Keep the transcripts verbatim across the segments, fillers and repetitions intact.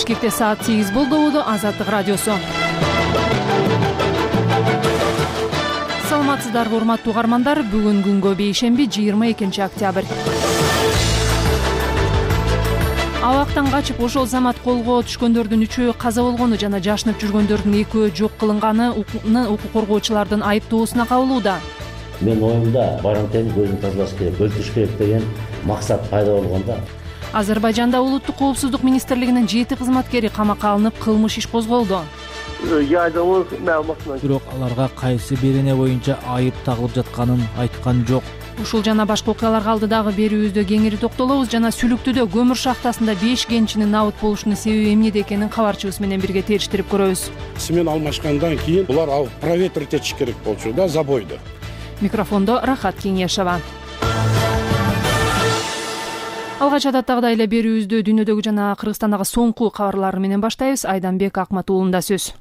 Бишкекте саат сегиз болду. Азаттык радиосу. Саламатсыздарбы, урматтуу угармандар. Бүгүн күнгө бейшемби, жыйырма экинчи октябрь. Абактан качып ошол замат колго түшкөндөрдүн үчөө каза болгону жана жашынып жүргөндөрдүн экөө жок кылынганы укук коргоочулардын айыптоосуна кабылууда. Мен оюмда барымтени көзүн тазалаш керек, өлтүрүш керек деген максат пайда болгондо. Азербайжанда улуттук коопсуздук министрлигинин жети кызматкери камакка алынып, кылмыш иш козголду. Бирок аларга кайсы берене боюнча айып тагылып жатканын айткан жок. Ушул жана башка окуяларга алдыдагы берүүбүздө кеңири токтолобуз. Жана Сүлүктүдө көмүр шахтасында беш кенчинин набыт болушунун себеби эмнеде экенин кабарчыбыз менен бирге териштирип көрөбүз. Смен алмашкандан кийин булар ал проветрить этиш керек болчу да забойду. Микрофондо Рахат Кеңешова. Алгач адаттагыдай эле берүүбүздү дүйнөдөгү жана Кыргызстандагы соңку кабарлар менен баштайбыз. Айданбек Акматуулунда сөз.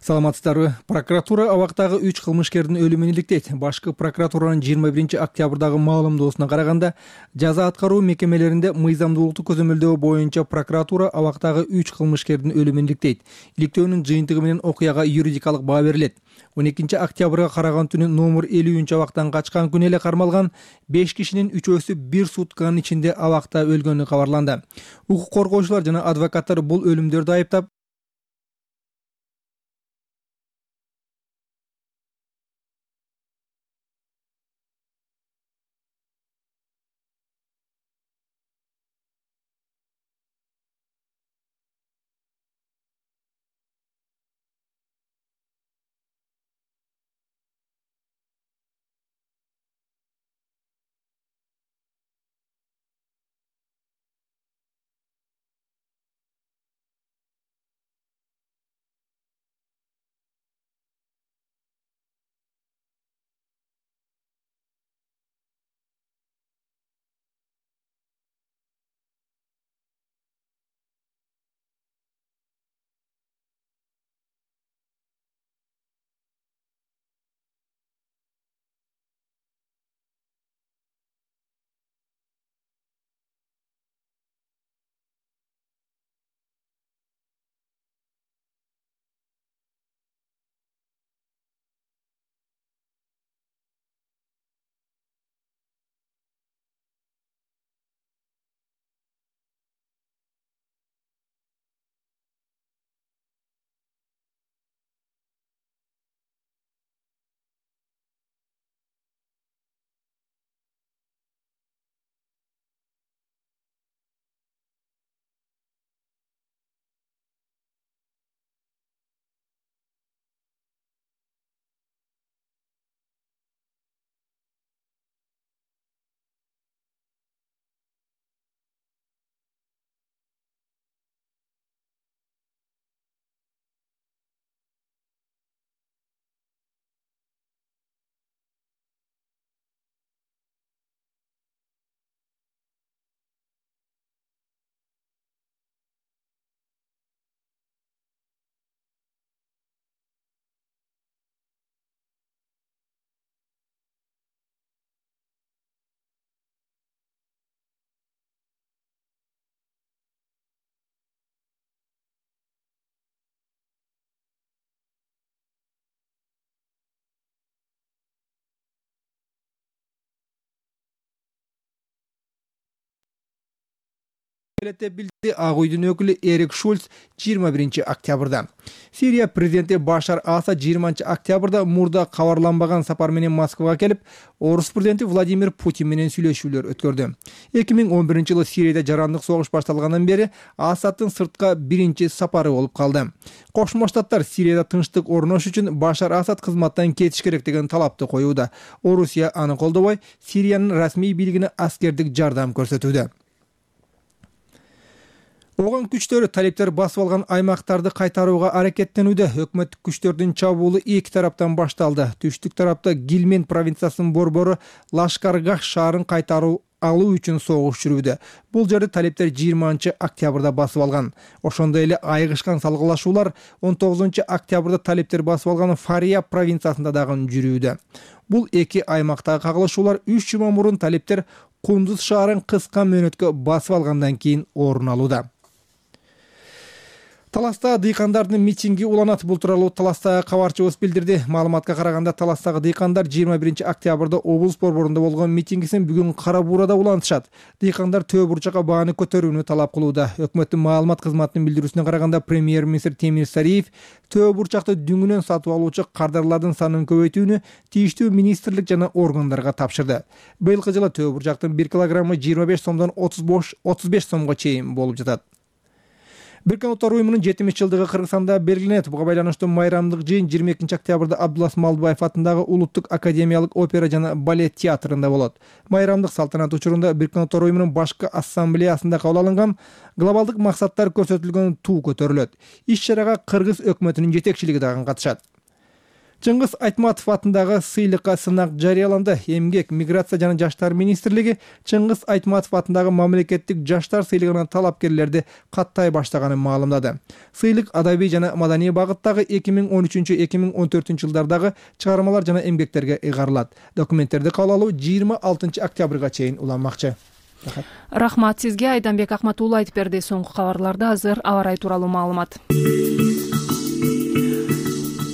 Саламатсыздарбы. Прокуратура абактагы үч кылмышкердин өлүмүн иликтейт. Башкы прокуратуранын жыйырма биринчи октябрдагы маалымдоосуна караганда, жаза аткаруу мекемелеринде мыйзамдуулукту көзөмөлдөө боюнча прокуратура абактагы үч кылмышкердин өлүмүн иликтейт. Иликтөөнүн жыйынтыгы менен окуяга юридикалык баа берилет. он экинчи октябрга караган түнү номер элүүнчү абактан качкан күнү эле кармалган беш кишинин үчөөсү бир сутканын ичинде абакта өлгөнү кабарланды. Укук коргоочулар жана адвокаттар бул өлүмдөрдү айыптап, билди Ак үйдүн өкүлү Эрик Шульц жыйырма биринчи октябрда. Сирия президенти Башар Асад жыйырманчы октябрда мурда кабарланбаган сапар менен Москвага келип, Орус президенти Владимир Путин менен сүйлөшүүлөр өткөрдү. эки миң он биринчи жылы Сирияда жарандык согуш башталгандан бери Асаддын сыртка биринчи сапары болуп калды. Кошмо Штаттар Сирияда тынчтык орнош үчүн Башар Асад кызматтан кетиш керек деген талапты коюуда. Орусия аны колдобой, Сириянын расмий бийлигине аскердик жардам көрсөтүүдө. Оган күчтөрү талиптер басып алган аймактарды кайтарууга аракеттенүүдө. Өкмөттүк күчтөрдүн чабуулу эки тараптан башталды. Түштүк тарапта Гилмен провинциясынын борбору Лашкаргах шаарын кайтаруу алуу үчүн согуш жүрүүдө. Бул жерди талиптер жыйырманчы октябрда басып алган. Ошондой эле айыгышкан салгылашуулар он тогузунчу октябрда талиптер басып алган Фария провинциясында дагы жүрүүдө. Бул эки аймактагы кагылышуулар үч жума мурун талиптер Кундуз шаарын кыска мөөнөткө басып алгандан кийин орун алууда. Таластагы дыйкандардын митинги уланат. Бул тууралуу Таластагы кабарчыбыз билдирди. Маалыматка караганда Таластагы дыйкандар жыйырма биринчи октябрда облус борборунда болгон митингисин бүгүн Кара Буурада улантышат. Дыйкандар Төө Бурчакка бааны көтөрүүнү талап кылууда. Өкмөттүн маалымат кызматынын билдирүүсүнө караганда премьер-министр Темир Сариев Төө Бурчакты дүңүнөн сатып алуучу кардарлардын санын көбөйтүүнү тийиштүү министрлик жана органдарга тапшырды. Быйылкы жылы Төө Бурчактын бир килограммы жыйырма беш сомдон отуз беш сомго чейин болуп жатат. Бириккен Улуттар уюмунун жетимиш жылдыгы Кыргызстанда белгиленет. Буга байланыштуу майрамдык жыйын жыйырма экинчи октябрда Абдулас Малдыбаев атындагы Улуттук академиялык опера жана балет театрында болот. Майрамдык салтанат учурунда Бириккен Улуттар уюмунун башкы ассамблеясында кабыл алынган глобалдык максаттар көрсөтүлгөн туу көтөрүлөт. Иш-чарага Кыргыз өкмөтүнүн жетекчилиги дагы катышат. Чыңгыз Айтматов атындагы сыйлыкка сынак жарыяланды. Эмгек, миграция жана жаштар министрлиги Чыңгыз Айтматов атындагы мамлекеттик жаштар сыйлыгына талапкерлерди каттай баштаганын маалымдады. Сыйлык адабий жана маданий багыттагы эки миң он үчүнчү — эки миң он төртүнчү жылдардагы чыгармалар жана эмгектерге ыйгарылат. Документтерди кабыл алуу жыйырма алтынчы октябрга чейин уланмакчы. Рахмат сизге. Айданбек Акматуулу айтып берди. Соңку кабарларда азыр аба ырайы тууралуу маалымат.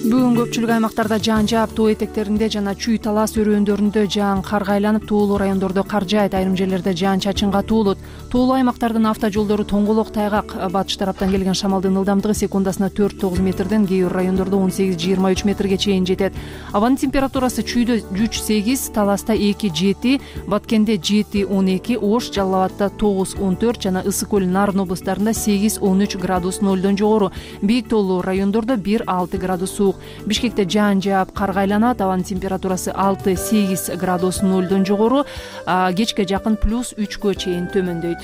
Бүгүн көпчүлүк аймактарда жаан жаап, тоо этектеринде жана Чүй талас өрөөндөрүндө жаан карга айланып, тоолуу райондордо кар жаайт, айрым жерлерде жаан чачынга туулут. Тоолуу аймактардын автожолдору тоңголок, тайгак. Батыш тараптан келген шамалдын ылдамдыгы секундасына төрт — тогуз метрден, кээ бир райондордо он сегиз — жыйырма үч метрге чейин жетет. Абанын температурасы Чүйдө үч — сегиз, Таласта эки — жети, Баткенде жети — он эки, Ош, Жалал Абадта тогуз — он төрт жана Ысык көл, Нарын облустарында сегиз — он үч градус нолдон жогору. Бийик тоолуу райондордо бир — алты градус суук. Бишкекте жаан жаап, карга айланат. Абанын температурасы алты — сегиз градус нолдон жогору. Кечке жакын плюс үчкө чейин төмөндөйт.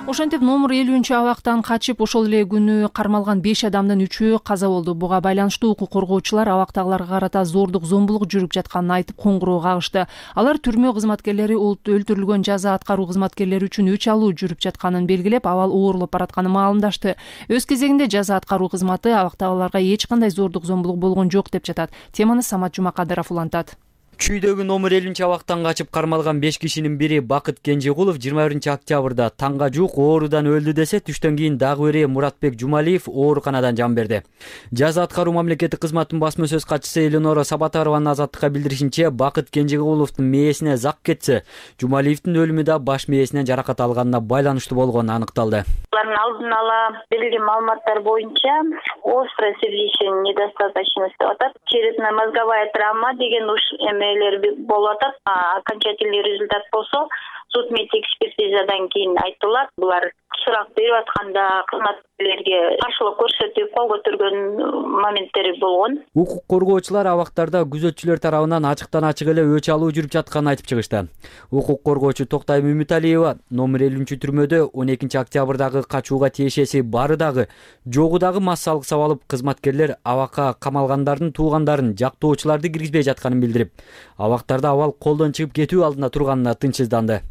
Ошентип номер элүүнчү абактан качып, ошол эле күнү кармалган беш адамдын үчөө каза болду. Буга байланыштуу укук коргоочулар абактагыларга карата зордук, зомбулук жүрүп жатканын айтып, коңгуроо кагышты. Алар түрмө кызматкерлери өлтүрүлгөн жаза аткаруу кызматкерлери үчүн өч алуу жүрүп жатканын белгилеп, абал ооруп баратканын маалымдашты. Өз кезегинде жаза аткаруу кызматы абактагыларга эч кандай зордук, зомбулук болгон жок деп жатат. Теманы Самат Жумакадыров улантат. Чүйдөгү номер элүүнчү абактан качып кармалган беш кишинин бири Бакыт Кенжегулов жыйырма биринчи октябрда таңга жуук оорудан өлдү десе, түштөн кийин дагы бири Муратбек Жумалиев ооруканадан жан берди. Жаза аткаруу мамлекеттик кызматтын басма сөз катчысы Элинора Сабатарованын Азаттыкка билдиришинче, Бакыт Кенжегуловдун мээсине зак кетсе, Жумалиевдин өлүмү да баш мээсинен жаракат алганына байланыштуу болгону аныкталды. Алардын алдын ала берилген маалыматтар боюнча острое сердечная недостаточность деп атат, черепно-мозговая травма деген уш эмелер болуп атат. Окончательный результат болсо судмед экспертизадан кийин айтылат. Булар сурак берип атканда кызматкерлерге каршылык көрсөтүп, кол көтөргөн моменттери болгон. Укук коргоочулар абактарда күзөтчүлөр тарабынан ачыктан ачык эле өч алуу жүрүп жатканын айтып чыгышты. Укук коргоочу Токтайым Үмүталиева номер элүүнчү түрмөдө он экинчи октябрдагы качууга тиешеси бары дагы, жогу дагы массалык сабалып, кызматкерлер абакка камалгандардын туугандарын, жактоочуларды киргизбей жатканын билдирип, абактарда абал колдон чыгып кетүү алдында турганына тынчсызданды.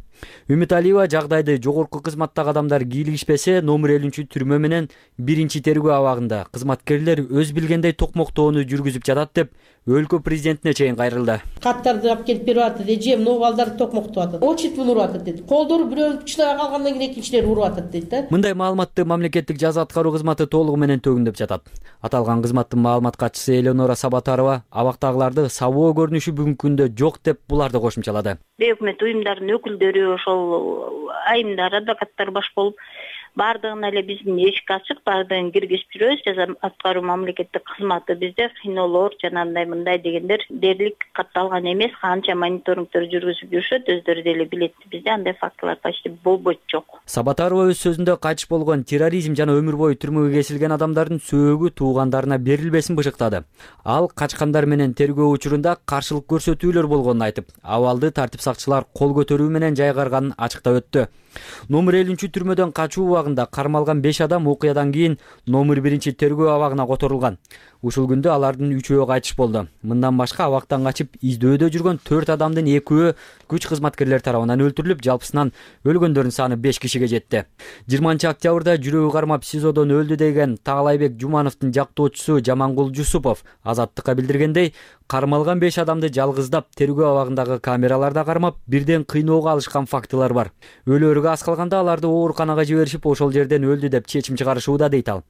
Үмүталиева жагдайды жогорку кызматтагы адамдар кийлигишпесе, номер элүүнчү түрмө менен биринчи тергөө абагында кызматкерлер өз билгендей токмоктоону жүргүзүп жатат деп өлкө президентине чейин кайрылды. Каттарды алып келип берип атат, эже мына балдарды токмоктоп атат. Очит уруп атат деди. Колдору бирөө чыдай калгандан кийин экинчилери уруп атат дейт да. Мындай маалыматты мамлекеттик жаза аткаруу кызматы толугу менен төгүндөп жатат. Аталган кызматтын маалымат катчысы Элинора Сабатарова абактагыларды сабоо көрүнүшү бүгүнкү күндө жок деп буларды кошумчалады. Өкмөт уюмдарынын өкүлдөрү, ошол айымдар, адвокаттар баш болуп, бардыгына эле биздин эшик ачык, бардыгын киргизип жүрөбүз. Жаза аткаруу мамлекеттик кызматы бизде кинолор жана андай мындай дегендер дээрлик катталган эмес. Канча мониторингдер жүргүзүп жүрүшөт, өздөрү деле билет. Бизде андай фактылар почти болбойт, жок. Сабатарова өз сөзүндө кайтыш болгон терроризм жана өмүр бою түрмөгө кесилген адамдардын сөөгү туугандарына берилбесин бышыктады. Ал качкандар менен тергөө учурунда каршылык көрсөтүүлөр болгонун айтып, абалды тартип сакчылар кол көтөрүү менен жайгарганын ачыктап өттү. Номер элүүнчү түрмөдөн качуу убагында кармалган беш адам окуядан кийин номер биринчи тергөө абагына которулган. Ушул күндө алардын үчөө кайтыш болду. Мындан башка абактан качып издөөдө жүргөн төрт адамдын экөө күч кызматкерлер тарабынан өлтүрүлүп, жалпысынан өлгөндөрдүн саны беш кишиге жетти. жыйырманчы октябрда жүрөгү кармап СИЗОдон өлдү деген Таалайбек Жумановдун жактоочусу Жамангул Жусупов Азаттыкка билдиргендей, кармалган беш адамды жалгыздап тергөө абагындагы камераларда кармап, бирден кыйноого алышкан фактылар бар. Өлөөргө аз калганда аларды ооруканага жиберишип, ошол жерден өлдү деп чечим чыгарышууда дейт ал.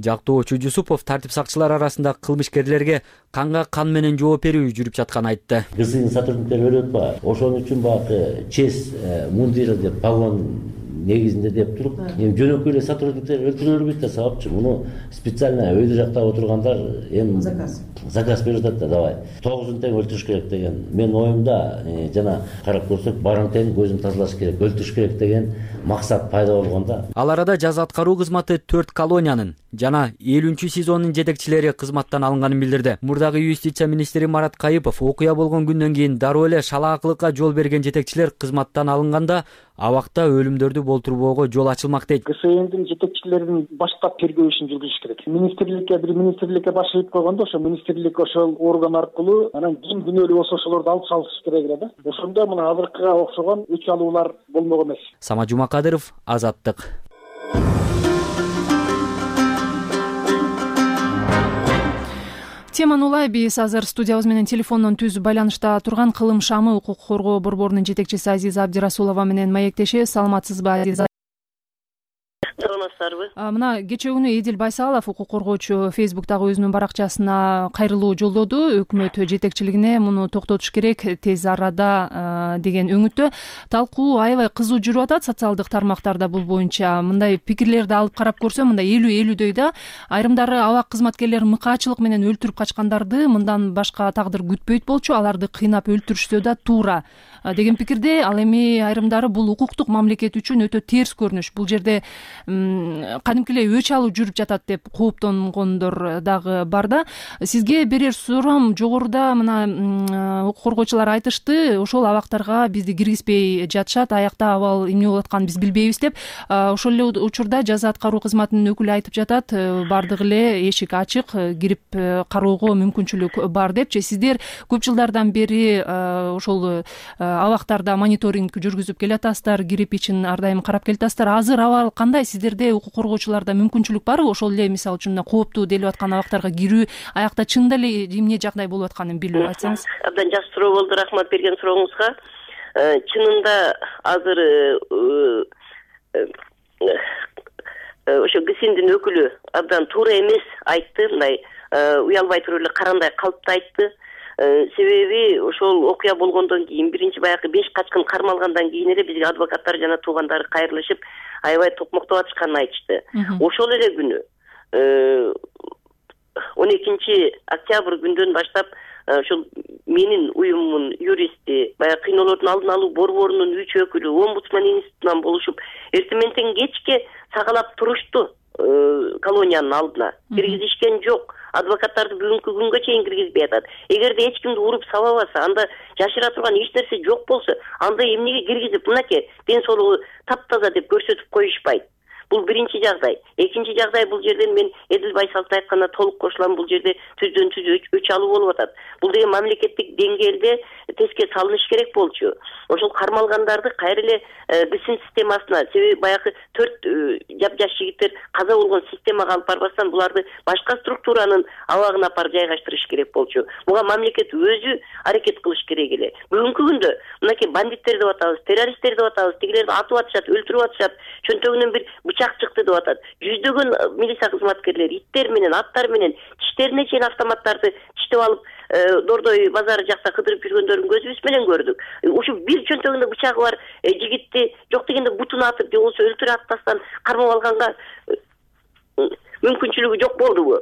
Жактоочу Жусупов тартип сакчылары арасында кылмышкерлерге канга кан менен жооп берүү жүрүп жатканын айтты. ГСИнин сотрудниктери өлүп атпайбы? Ошон үчүн баягы честь мундир деп погон негизинде деп туруп, эми жөнөкөй эле сотрудниктер өлтүрөлөр бит да сабапчы. Муну специально өйдө жакта отургандар эми заказ заказ берип атат да, давай тогузун тең өлтүрүш керек деген. Менин оюмда жана карап көрсөк, барың тең көзүн тазалаш керек, өлтүрүш керек деген максат пайда болгондо. Ал арада жаза аткаруу кызматы төрт колониянын жана элүүнчү СИЗОнун жетекчилери кызматтан алынганын билдирди. Мурдагы юстиция министри Марат Кайыпов окуя болгон күндөн кийин дароо эле шалаакылыкка жол берген жетекчилер кызматтан алынганда абакта өлүмдөрдү болтурбоого жол ачылмак дейт. ГСИнин жетекчилерин баштап тергөө ишин жүргүзүш керек. Министрликке бир министрликке баш ийип койгондо, ошо министрлик ошол орган аркылуу анан ким күнөөлүү болсо ошолорду алып салыш керек эле да. Ошондо мына азыркыга окшогон өч алуулар болмок эмес. Самат Жумакадыров, Азаттык. Теманы улай биз азыр студиябыз менен телефондон түз байланышта турган Кылым Шамы укук коргоо борборунун жетекчиси Азиза Абдирасулова менен маектеши. Саламатсызбы, Азиза? Саламатсыздарбы? Мына кечээ күнү Эдил Байсалов укук коргоочу Фейсбуктагы өзүнүн баракчасына кайрылуу жолдоду. Өкмөт жетекчилигине муну токтотуш керек тез арада деген өңүттө. Талкуу аябай кызуу жүрүп атат социалдык тармактарда бул боюнча. Мындай пикирлерди алып карап көрсөм, мындай элүү элүүдөй да. Айрымдары абак кызматкерлери мыкаачылык менен өлтүрүп качкандарды мындан башка тагдыр күтпөйт болчу, аларды кыйнап өлтүрүшсө да туура деген пикирде. Ал эми айрымдары бул укуктук мамлекет үчүн өтө терс көрүнүш. Бул жерде кадимки эле өч алуу жүрүп жатат деп кооптонгондор дагы бар да. Сизге берер суроом, жогоруда мына укук коргоочулар айтышты, ошол абактарга бизди киргизбей жатышат, аякта абал эмне болуп атканын биз билбейбиз деп. Ошол эле учурда жаза аткаруу кызматынын өкүлү айтып жатат, бардыгы эле эшик ачык, кирип кароого мүмкүнчүлүк бар депчи. Сиздер көп жылдардан бери ошол абактарда мониторинг жүргүзүп келатасыздар, кирип ичин ар дайым карап келатасыздар. Азыр абал кандай? Сиздерде укук коргоочуларда мүмкүнчүлүк барбы? Ошол эле мисалы үчүн кооптуу делип аткан абактарга кирүү, аякта чында эле эмне жагдай болуп атканын билип айтсаңыз. Абдан жакшы суроо болду, рахмат берген сурооңузга. Чынында азыр ошо ГСИндин өкүлү абдан туура эмес айтты, мындай уялбай туруп эле карандай калыпты айтты. Себеби ошол окуя болгондон кийин биринчи баягы беш качкын кармалгандан кийин эле бизге адвокаттар жана туугандары кайрылышып, аябай токмоктоп атышканын айтышты. Ошол эле күнү он экинчи октябрь күндөн баштап ошол менин уюмумдун юристи, баягы кыйноолордун алдын алуу борборунун үч өкүлү омбудсман институтунан болушуп, эртең менен кечке сагалап турушту колониянын алдына. Киргизишкен жок. Адвокаттарды бүгүнкү күнгө чейин киргизбей атат. Эгерде эч кимди уруп сабабаса, анда жашыра турган эч нерсе жок болсо, анда эмнеге киргизип, мынакей ден соолугу таптаза деп көрсөтүп коюшпайт? Бул биринчи жагдай. Экинчи жагдай, бул жерден мен Эдил Байсаловдун айтканына толук кошулам. Бул жерде түздөн түз өч алуу болуп атат. Бул деген мамлекеттик деңгээлде теске салыныш керек болчу. Ошол кармалгандарды кайра эле ГСИн системасына, себеби баягы төрт жап-жаш жигиттер каза болгон системага алып барбастан, буларды башка структуранын абагына апарып жайгаштырыш керек болчу. Буга мамлекет өзү аракет кылыш керек эле. Бүгүнкү күндө мынакей бандиттер деп атабыз, террористтер деп атабыз, тигилерди атып атышат, өлтүрүп атышат, чөнтөгүнөн бир бычак чыкты деп атат. Жүздөгөн милиция кызматкерлери иттер менен, аттар менен тиштерине чейин автоматтарды тиштеп алып, Дордой базары жакта кыдырып жүргөндөрүн көзүбүз менен көрдүк. Ушу бир чөнтөгүндө бычагы бар жигитти жок дегенде бутун атып, же болбосо өлтүрүп атпастан кармап алганга мүмкүнчүлүгү жок болдубу?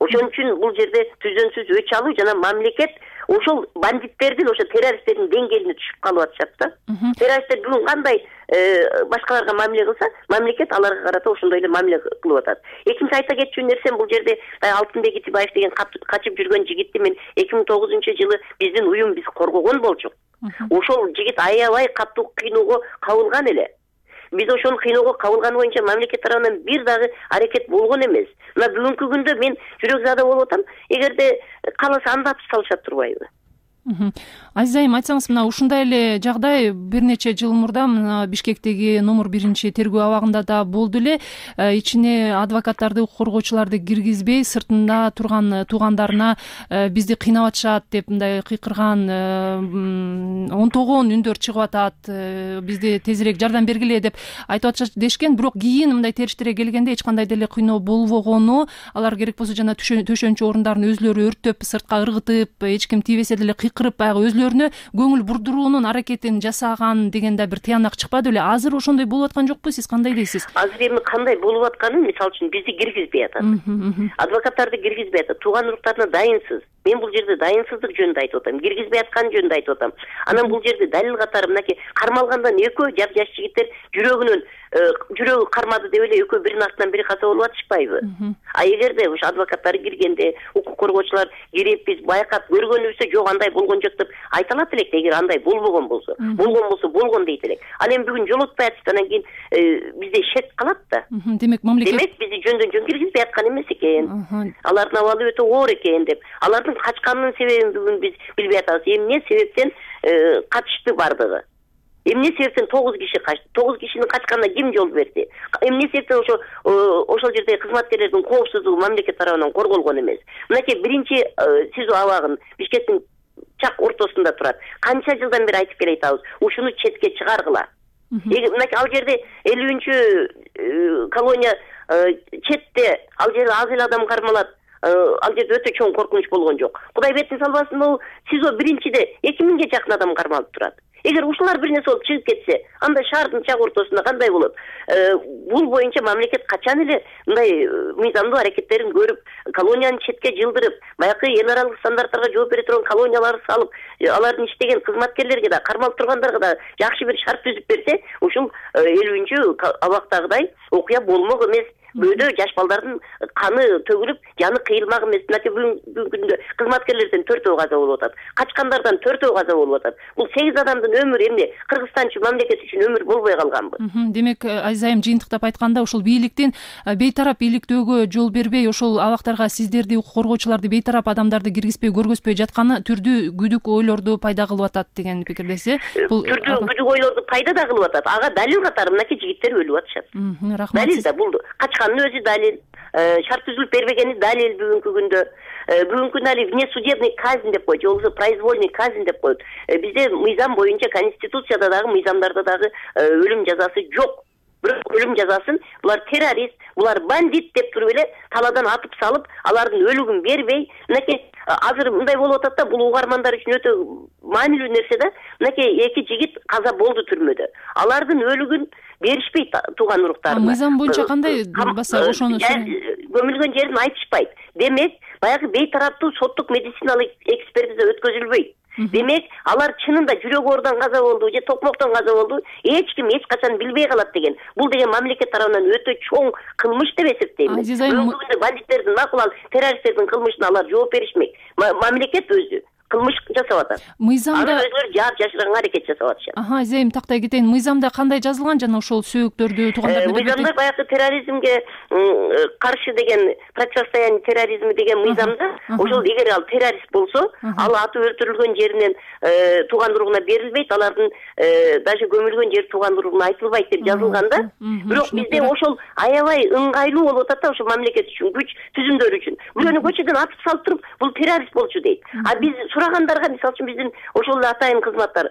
Ошон үчүн бул жерде түздөн түз өч алуу жана мамлекет ошол бандиттердин, ошо террористтердин деңгээлине түшүп калып атышат да. Террористтер бүгүн кандай башкаларга мамиле кылса, мамлекет аларга карата ошондой эле мамиле кылып атат. Экинчи айта кетчү нерсем, бул жерде Алтынбек Итибаев деген качып жүргөн жигитти мен эки миң тогузунчу жылы биздин уюм биз коргогон болчук. Ошол жигит аябай катуу кыйноого кабылган эле. биз ошону кыйноого кабылганы боюнча мамлекет тарабынан бир дагы аракет болгон эмес. Мына бүгүнкү күндө мен жүрөк болуп атам, эгерде кааласа анда атып салышат турбайбы? Азиз айым, айтсаңыз, мына ушундай эле жагдай бир нече жыл мурда мына Бишкектеги номер биринчи тергөө абагында да болду эле. Ичине адвокаттарды, укук коргоочуларды киргизбей, сыртында турган туугандарына бизди кыйнап атышат деп мындай кыйкырган онтогон үндөр чыгып атат, бизди тезирээк жардам бергиле деп айтып атышат дешкен. Бирок кийин мындай териштире келгенде эч кандай деле кыйноо болбогону, алар керек болсо жана төшөнчү орундарын өзлөрү өрттөп, сыртка ыргытып, эч ким тийбесе деле кырып баягы өзлөрүнө көңүл бурдуруунун аракетин жасаган деген да бир тыянак чыкпады беле? Азыр ошондой болуп аткан жокпу? Сиз кандай дейсиз? Азыр эми кандай болуп атканын, мисалы үчүн бизди киргизбей атат. Адвокаттарды киргизбей атат. Тууган уруктарына дайынсыз. Мен бул жерде дайынсыздык жөнүндө айтып атам. Киргизбей аткан жөнүндө айтып атам. Анан бул жерде далил катары мынакей кармалгандан экөө жап жаш жигиттер жүрөгүнөн жүрөгү кармады деп эле экөө биринин артынан бири каза болуп атышпайбы? А эгерде ушу адвокаттар киргенде, укук коргоочулар кирип биз байкап көргөнүбүздө жок андай болгон жок деп айта алат элек, эгер андай болбогон болсо. Болгон болсо болгон дейт элек. Ал эми бүгүн жолотпай атышты, анан кийин бизде шек калат да. Демек мамлекет Демек бизди жөндөн жөн киргизбей аткан эмес экен. Алардын абалы өтө оор экен деп. Алардын качканынын себебин бүгүн биз билбей атабыз. Эмне себептен качышты бардыгы? Эмне себептен тогуз киши качты? тогуз кишинин качканына ким жол берди? Эмне себептен ошо ошол жердеги кызматкерлердин коопсуздугу мамлекет тарабынан корголгон эмес? Мынакей биринчи СИЗО абагын Бишкектин чак ортосунда турат. Канча жылдан бери айтып келе атабыз, ушуну четке чыгаргыла. Мынакей ал жерде элүүнчү колония четте, ал жерде аз эле адам кармалат. Ал жерде өтө чоң коркунуч болгон жок. Кудай бетин салбасын, бул СИЗО биринчиде эки миңге жакын адам кармалып турат. Эгер ушулар бир нерсе болуп чыгып кетсе, анда шаардын чак ортосунда кандай болот? Бул боюнча мамлекет качан эле мындай мыйзамдуу аракеттерин көрүп, колонияны четке жылдырып, баягы эл аралык стандарттарга жооп бере турган колонияларды салып, алардын иштеген кызматкерлерге да, кармалып тургандарга да жакшы бир шарт түзүп берсе, ушул элүүнчү абактагыдай окуя болмок эмес. Бөөдө жаш балдардын каны төгүлүп, жаны кыйылмак эмес. Мынакей бүгүнкү күндө кызматкерлерден төртөө каза болуп атат. Качкандардан төртөө каза болуп атат. Бул сегиз адамдын өмүрү эмне Кыргызстан үчүн, мамлекет үчүн өмүр болбой калганбы? Демек, Азиз айым, жыйынтыктап айтканда, ушул бийликтин бейтарап бийликтөөгө жол бербей, ошол абактарга сиздерди, укук коргоочуларды, бейтарап адамдарды киргизбей, көргөзбөй жатканы түрдүү күдүк ойлорду пайда кылып атат деген пикирдесиз. Бул түрдүү күдүк ойлорду пайда да кылып атат. Ага далил катары мынакей жигиттер өлүп атышат. Рахмат. Далил да бул качканын өзү далил, шарт түзүлүп бербегени далил бүгүнкү күндө. Бүгүнкү күндө али внесудебный казнь деп коет, же болбосо произвольный казнь деп коет. Бизде мыйзам боюнча, конституцияда дагы, мыйзамдарда дагы өлүм жазасы жок. Бирок өлүм жазасын булар террорист, булар бандит деп туруп эле талаадан атып салып, алардын өлүгүн бербей, мынакей азыр мындай болуп атат да, бул угармандар үчүн өтө маанилүү нерсе да. Мынакей эки жигит каза болду түрмөдө. Алардын өлүгүн беришпейт тууган уруктарына. Мыйзам боюнча кандай баса ошону көмүлгөн жерин айтышпайт. Демек, баягы бейтараптуу соттук медициналык экспертиза өткөзүлбөйт. Демек, алар чынында жүрөк оорудан каза болду же токмоктон каза болду, эч ким эч качан билбей калат деген. Бул деген мамлекет тарабынан өтө чоң кылмыш деп эсептейм. Бүгүнкү бандиттердин, макул ал террористтердин кылмышына алар жооп беришмек. Мамлекет өзү кылмыш жасап атат. Мыйзамда аны өзүлөрү жаап жашырганга аракет жасап атышат. Аха, Азем, тактай кетейин. Мыйзамда кандай жазылган жана ошол сөөктөрдү туугандарды мыйзамда баягы терроризмге каршы деген, противостояние терроризму деген мыйзамда ошол эгер ал террорист болсо, ал атып өлтүрүлгөн жеринен тууган уругуна берилбейт, алардын даже көмүлгөн жери тууган уругуна айтылбайт деп жазылган да. Бирок бизде ошол аябай ыңгайлуу болуп атат да, ошо мамлекет үчүн, күч түзүмдөр үчүн. Бирөөнү көчөдөн атып салып туруп, бул террорист болчу дейт. А биз сурагандарга, мисалы үчүн биздин ошол атайын кызматтар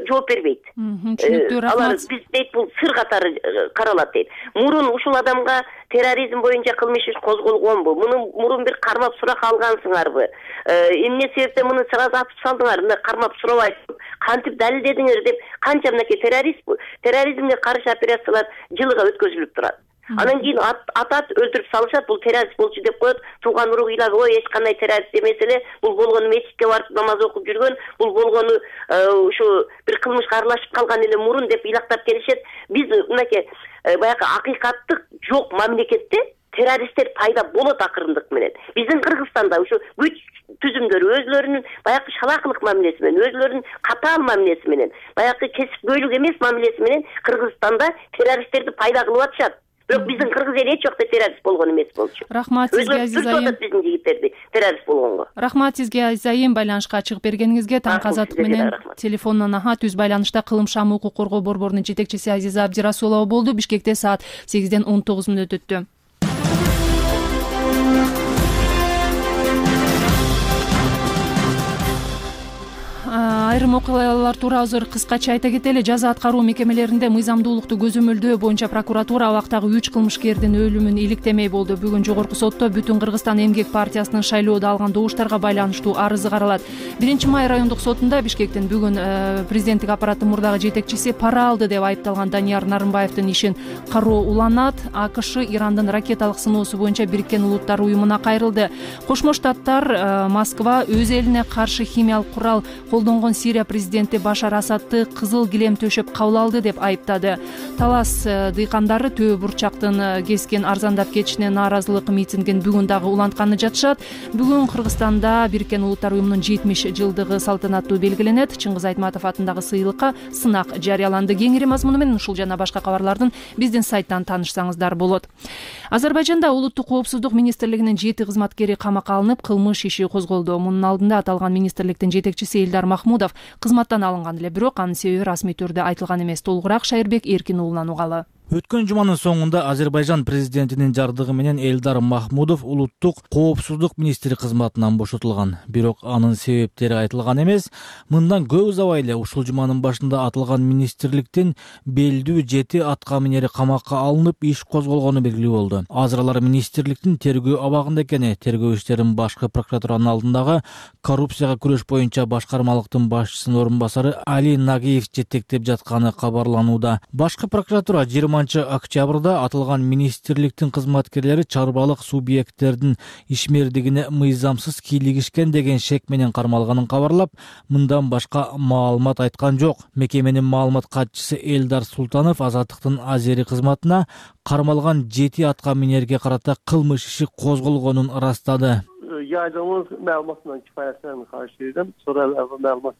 жооп бербейт. Алар биз дейт, бул сыр катары каралат дейт. Мурун ушул адамга терроризм боюнча кылмыш иш козголгонбу? Муну мурун бир кармап сурак алгансыңарбы? Эмне себептен муну сразу атып салдыңар? Мына кармап сурабай кантип далилдедиңер деп канча мынакей террорист терроризмге каршы операциялар жылыга өткөзүлүп турат. Анан кийин атат, өлтүрүп салышат, бул террорист болчу деп коет. Тууган уругу ыйлап, ой, эч кандай террорист эмес эле, бул болгону мечитке барып намаз окуп жүргөн, бул болгону ушу бир кылмышка аралашып калган эле мурун деп ыйлактап келишет. Биз мынакей баягы акыйкаттык жок мамлекетте террористтер пайда болот акырындык менен. Биздин Кыргызстанда ушу күч түзүмдөр өзлөрүнүн баягы шалакылык мамилеси менен, өзлөрүнүн катаал мамилеси менен, баягы кесипкөйлүк эмес мамилеси менен Кыргызстанда террористтерди пайда кылып атышат. Бирок биздин кыргыз эли эч жакта террорист болгон эмес болчу. Рахмат сизге, Азиз айым. Биздин жигиттерди террорист болгонго. Рахмат сизге, Азиз айым, байланышка чыгып бергениңизге. Таңкы азаттык менен телефондон аха түз байланышта Кылым шамы укук коргоо борборунун жетекчиси Азиза Абдирасулова болду. Бишкекте саат сегизден он тогуз мүнөт өттү. Айрым окуялар тууралуу азыр кыскача айта кетели. Жаза аткаруу мекемелеринде мыйзамдуулукту көзөмөлдөө боюнча прокуратура абактагы үч кылмышкердин өлүмүн иликтемей болду. Бүгүн жогорку сотто Бүтүн Кыргызстан эмгек партиясынын шайлоодо алган добуштарга байланыштуу арызы каралат. Биринчи май райондук сотунда Бишкектин бүгүн президенттик аппараттын мурдагы жетекчиси пара алды деп айыпталган Данияр Нарымбаевдин ишин кароо уланат. АКШ Ирандын ракеталык сыноосу боюнча Бириккен Улуттар уюмуна кайрылды. Кошмо Штаттар Москва өз элине каршы химиялык курал колдонгон Сирия президенти Башар Асадты кызыл килем төшөп кабыл алды деп айыптады. Талас дыйкандары Төө бурчактын кескен арзандап кетишине нааразылык митингин бүгүн дагы улантканы жатышат. Бүгүн Кыргызстанда Бириккен Улуттар уюмунун жетимиш жылдыгы салтанаттуу белгиленет. Чыңгыз Айтматов атындагы сыйлыкка сынак жарыяланды. Кеңири мазмуну менен ушул жана башка кабарлардын биздин сайттан таанышсаңыздар болот. Азербайжанда улуттук коопсуздук министрлигинин жети кызматкери камакка алынып, кылмыш иши козголду. Мунун алдында аталган министрликтин жетекчиси Элдар Махмудов кызматтан алынган эле, бирок анын себеби расмий түрдө айтылган эмес. Толугураак Шайырбек Эркин уулунан угалы. Өткөн жуманын соңунда Азербайжан президентинин жардыгы менен Элдар Махмудов улуттук коопсуздук министри кызматынан бошотулган. Бирок анын себептери айтылган эмес. Мындан көп узабай эле ушул жуманын башында аталган министрликтин белдүү жети атка минери камакка алынып, иш козголгону белгилүү болду. Азыр министрликтин тергөө абагында экени, тергөө иштерин башкы прокуратуранын алдындагы коррупцияга күрөш боюнча башкармалыктын башчысынын орун басары Али Нагиев жетектеп жатканы кабарланууда. Башкы прокуратура жыйырма октябрда аталган министрликтин кызматкерлери чарбалык субъекттердин ишмердигине мыйзамсыз кийлигишкен деген шек менен кармалганын кабарлап, мындан башка маалымат айткан жок. Мекеменин маалымат катчысы Элдар Султанов Азаттыктын Азери кызматына кармалган жети атка минерге карата кылмыш иши козголгонун ырастады. Yaydığımız məlumatla kifayətlənmə xahiş edirəm. Sonra məlumat.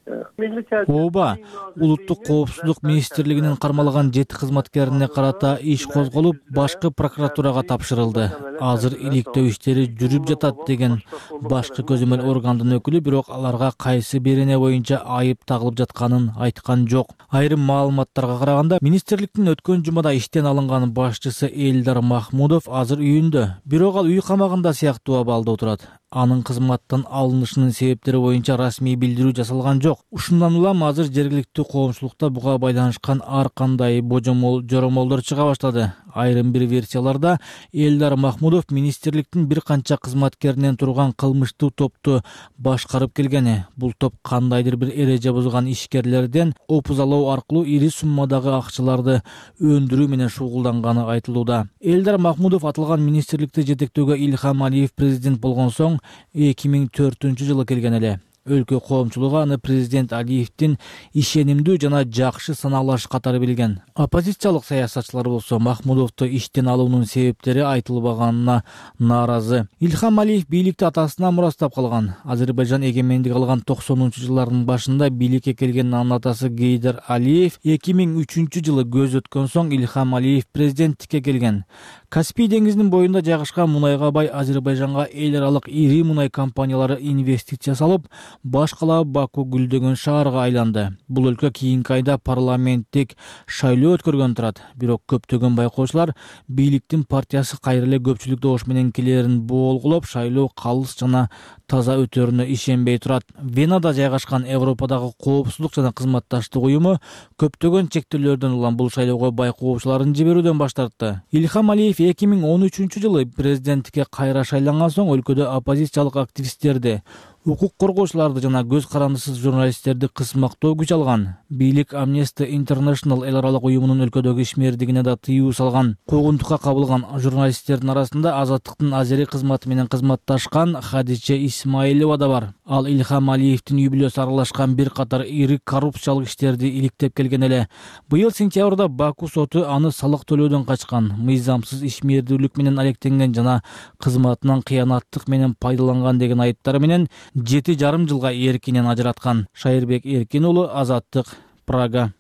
Ооба, улуттук коопсуздук министрлигинин кармалган жети кызматкерине карата иш козголуп, башкы прокуратурага тапшырылды. Азыр иликтөө иштери жүрүп жатат деген башкы көзөмөл органдын өкүлү, бирок аларга кайсы бирине боюнча айып тагылып жатканын айткан жок. Айрым маалыматтарга караганда, министрликтин өткөн жумада иштен алынган башчысы Элдар Махмудов азыр үйүндө, бирок ал үй камагында сыяктуу абалда отурат. Анын кызматтан алынышынын себептери боюнча расмий билдирүү жасалган жок. Ушундан улам азыр жергиликтүү коомчулукта буга байланышкан ар кандай божомол жоромолдор чыга баштады. Айрым бир версияларда Элдар Махмудов министрликтин бир канча кызматкеринен турган кылмыштуу топту башкарып келгени. Бул топ кандайдыр бир эреже бузган ишкерлерден опузалоо аркылуу ири суммадагы акчаларды өндүрүү менен шугулданганы айтылууда. Элдар Махмудов аталган министрликти жетектөөгө Ильхам Алиев президент болгон соң эки миң төртүнчү жылы келген эле. Өлкө коомчулугу аны президент Алиевдин ишенимдүү жана жакшы саналаш катары билген. Оппозициялык саясатчылар болсо Махмудовду иштен алуунун себептери айтылбаганына нааразы. Ильхам Алиев бийликти атасынан мурастап калган. Азербайжан эгемендик алган токсонунчу жылдардын башында бийликке келген анын атасы Гейдар Алиев эки миң үчүнчү жылы көз өткөн соң Ильхам Алиев президенттикке келген. Каспий деңизинин боюнда жайгашкан мунайга бай Азербайжанга эл аралык ири мунай компаниялары инвестиция салып, башкалап Баку гүлдөгөн шаарга айланды. Бул өлкө кийинки айда парламенттик шайлоо өткөргөн турат. Бирок көптөгөн байкоочулар бийликтин партиясы кайра эле көпчүлүк добуш менен келерин болгулоп, шайлоо калыс жана таза өтөрүнө ишенбей турат. Венада жайгашкан Европадагы коопсуздук жана кызматташтык уюму көптөгөн чектөөлөрдөн улам бул шайлоого байкоочуларын жиберүүдөн баш тартты. Ильхам Алиев эки миң он үчүнчү жылы президенттикке кайра шайланган соң өлкөдө оппозициялык активисттерди, укук коргоочуларды жана көз карандысыз журналисттерди кысмактоо күч алган. Бийлик Amnesty International эл аралык уюмунун өлкөдөгү ишмердигине да тыюу салган. Куугунтукка кабылган журналисттердин арасында Азаттыктын Азери кызматы менен кызматташкан Хадиче Исмаилова да бар. Ал Илхам Алиевдин үй бүлөсү аралашкан бир катар ири коррупциялык иштерди иликтеп келген эле. Быйыл сентябрда Баку соту аны салык төлөөдөн качкан, мыйзамсыз ишмердүүлүк менен алектенген жана кызматынан кыянаттык менен пайдаланган деген айыптары менен жети жарым жылга эркинен ажыраткан. Шайырбек Эркин уулу, Азаттык, Прага.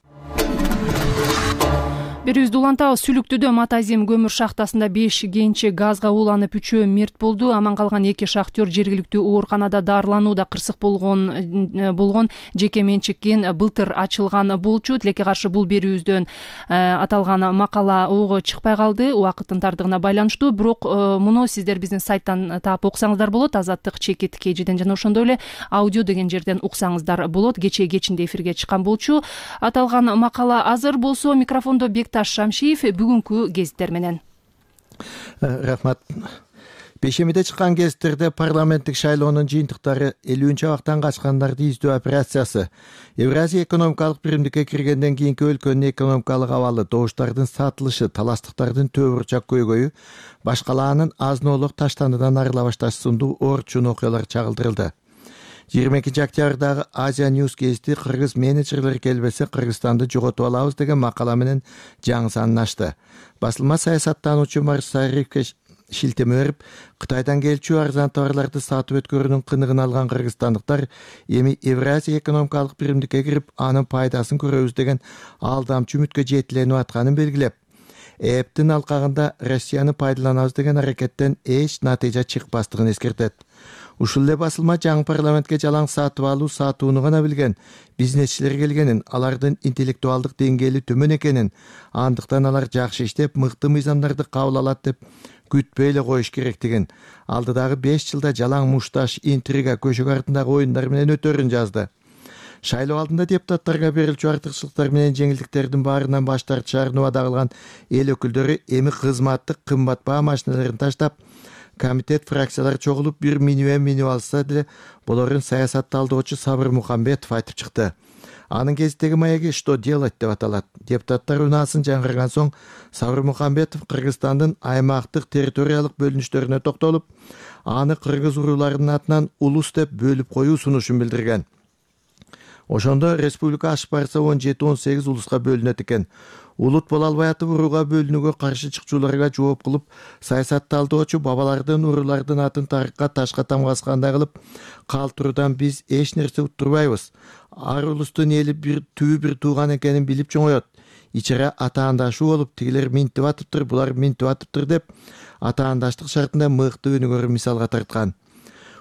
Берүүбүздү улантабыз. Сүлүктүдө Матазим көмүр шахтасында беш кенчи газга ууланып үчөө мерт болду. Аман калган эки шахтер жергиликтүү ооруканада дарыланууда. Кырсык болгон болгон жеке менчиккен былтыр ачылган болчу. Тилекке каршы бул берүүбүздөн аталган макала ого чыкпай калды убакыттын тардыгына байланыштуу. Бирок муну сиздер биздин сайттан таап окусаңыздар болот. Азаттык чекит кежиден жана ошондой эле аудио деген жерден уксаңыздар болот. Кечээ кечинде эфирге чыккан болчу. Аталган макала азыр болсо микрофондо Бекташ Шамшиев бүгүнкү гезиттер менен. Рахмат. Бешемиде чыккан гезиттерде парламенттик шайлоонун жыйынтыктары элүүнчү абактан качкандарды издөө операциясы, Евразия экономикалык биримдикке киргенден кийинки өлкөнүн экономикалык абалы, добуштардын сатылышы, таластыктардын төбө бурчак көйгөйү, башкалаанын азын-оолук таштануудан арыла башташы сындуу орчун окуялар чагылдырылды. жыйырма экинчи октябрдагы Азия News гезити кыргыз менеджерлер келбесе Кыргызстанды жоготуп алабыз деген макала менен жаңы санын ачты. Басылма саясаттануучу Марсариевке шилтеме берип, Кытайдан келчү арзан товарларды сатып өткөрүүнүн кыныгын алган кыргызстандыктар эми Евразия экономикалык биримдикке кирип, анын пайдасын көрөбүз деген алдамчы үмүткө жетиленип атканын белгилеп, эптин алкагында Россияны пайдаланабыз деген аракеттен эч натыйжа чыкпастыгын эскертет. Ушул эле басылма жаңы парламентке жалаң сатып алуу сатууну гана билген бизнесчилер келгенин, алардын интеллектуалдык деңгээли төмөн экенин, андыктан алар жакшы иштеп, мыкты мыйзамдарды кабыл алат деп күтпөй эле коюш керектигин, алдыдагы беш жылда жалаң мушташ, интрига, көшөк артындагы оюндар менен өтөрүн жазды. Шайлоо алдында депутаттарга берилчү артыкчылыктар менен жеңилдиктердин баарынан баш тартышаарын убада кылган эл өкүлдөрү эми кызматтык кымбат баа машиналарын таштап, комитет фракциялар чогулуп бир минуэ минуэ алса деле болорун саясат талдоочу Сабыр Мухамбетов айтып чыкты. Анын гезиттеги маяги «Что делать» деп аталат. Депутаттар унаасын жаңгырган соң Сабыр Мухамбетов Кыргызстандын аймактык территориялык бөлүнүштөрүнө токтолуп, аны кыргыз урууларынын атынан улус деп бөлүп коюу сунушун билдирген. Ошондо республика ашып барса он жети он сегиз улуска бөлүнөт экен. Улут боло албай атып урууга бөлүнүүгө каршы чыкчуларга жооп кылып, саясат талдоочу бабалардын уруулардын атын тарыхка ташка тамгаскандай кылып калтыруудан биз эч нерсе уттурбайбыз. Ар улустун эли бир түбү бир тууган экенин билип чоңоет. Ичере атаандашуу болуп, тигилер минтип атыптыр, булар минтип атыптыр деп атаандаштык шартында мыкты өнүгөр мисалга тарткан.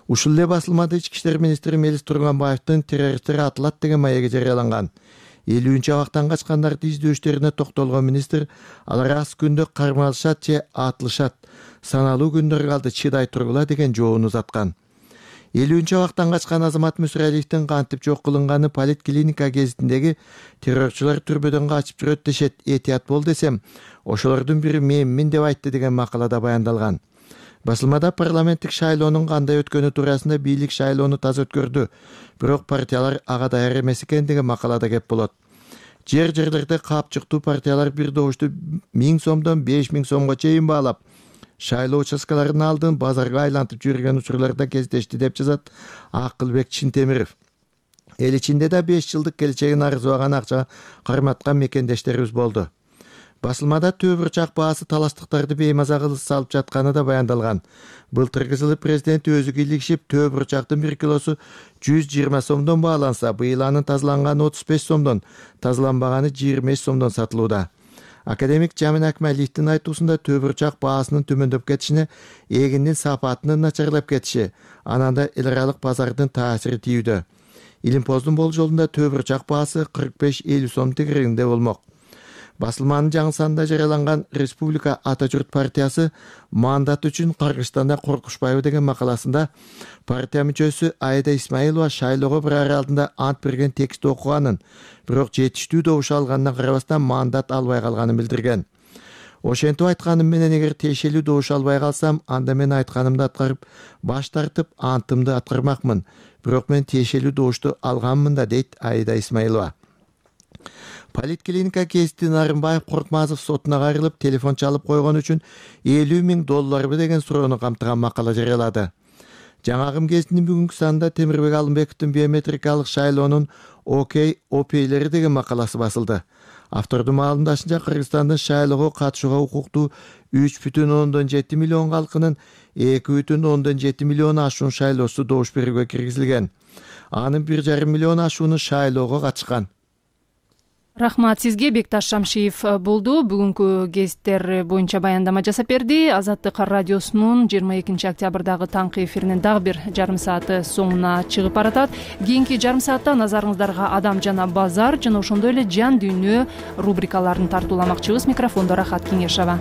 Ушул эле басылмада ички иштер министри Мелис Турганбаевдин террористтер атылат деген маеги жарыяланган. элүүнчү абактан качкандарды издөө иштерине токтолгон министр, алар аз күндө кармалышат же атылышат, саналуу күндөр калды, чыдай тургула деген жообун узаткан. элүүнчү абактан качкан Азамат Мүсүралиевдин кантип жок кылынганы Политклиника гезитиндеги террорчулар түрбөдөн качып жүрөт дешет, этият бол десем, ошолордун бири менмин деп айтты деген макалада баяндалган. Басылмада парламенттик шайлоонун кандай өткөнү туурасында бийлик шайлоону таза өткөрдү, бирок партиялар ага даяр эмес экен деген макалада кеп болот. Жер жерлерде капчыктуу партиялар бир добушту миң сомдон беш миң сомго чейин баалап, шайлоо участкаларынын алдын базарга айлантып жүргөн учурларда кездешти деп жазат Акылбек Чинтемиров. Эл ичинде да беш жылдык келечегин арзубаган акча карматкан мекендештерибиз болду. Басылмада төбө бурчак баасы таластыктарды беймаза кылып салып жатканы да баяндалган. Былтыркы жылы президент өзү кийлигишип, төбө бурчактын бир килосу жүз жыйырма сомдон бааланса, быйыл анын тазаланганы отуз беш сомдон, тазаланбаганы жыйырма беш сомдон сатылууда. Академик Жамин Акмалиевдин айтуусунда төбө бурчак баасынын төмөндөп кетишине эгиндин сапатынын начарлап кетиши, анан да эл аралык базардын таасири тийүүдө. Илимпоздун болжолунда төбө бурчак баасы кырк беш элүү сом тегерегинде болмок. Басылманын жаңы санында жарыяланган Республика Ата журт партиясы мандат үчүн Кыргызстанда коркушпайбы деген макаласында партия мүчөсү Айда Исмаилова шайлоого бир ай алдында ант берген текстти окуганын, бирок жетиштүү добуш алганына карабастан мандат албай калганын билдирген. Ошентип айтканым менен эгер тиешелүү добуш албай калсам, анда мен айтканымды аткарып, баш тартып антымды аткармакмын. Бирок мен тиешелүү добушту алганмын да, дейт Айда Исмаилова. Политклиника гезити Нарымбаев Коркмазов сотуна кайрылып, телефон чалып койгон үчүн элүү миң долларбы деген суроону камтыган макала жарыялады. Жаңагым кезинин бүгүнкү санында Темирбек Алымбековдун биометрикалык шайлоонун окей опейлери деген макаласы басылды. Автордун маалымдашынча, Кыргызстандын шайлоого катышууга укуктуу үч бүтүн ондон жети миллион калкынын эки бүтүн ондон жети миллион ашуун шайлоосу добуш берүүгө киргизилген. Анын бир жарым миллион ашууну шайлоого катышкан. Рахмат сизге. Бекташ Шамшиев болду. Бүгүнкү гезиттер боюнча баяндама жасап берди. Азаттык радиосунун жыйырма экинчи октябрдагы таңкы эфиринин дагы бир жарым сааты соңуна чыгып баратат. Кийинки жарым саатта назарыңыздарга адам жана базар жана ошондой эле жан дүйнө рубрикаларын тартууламакчыбыз. Микрофондо Рахат Кеңешова.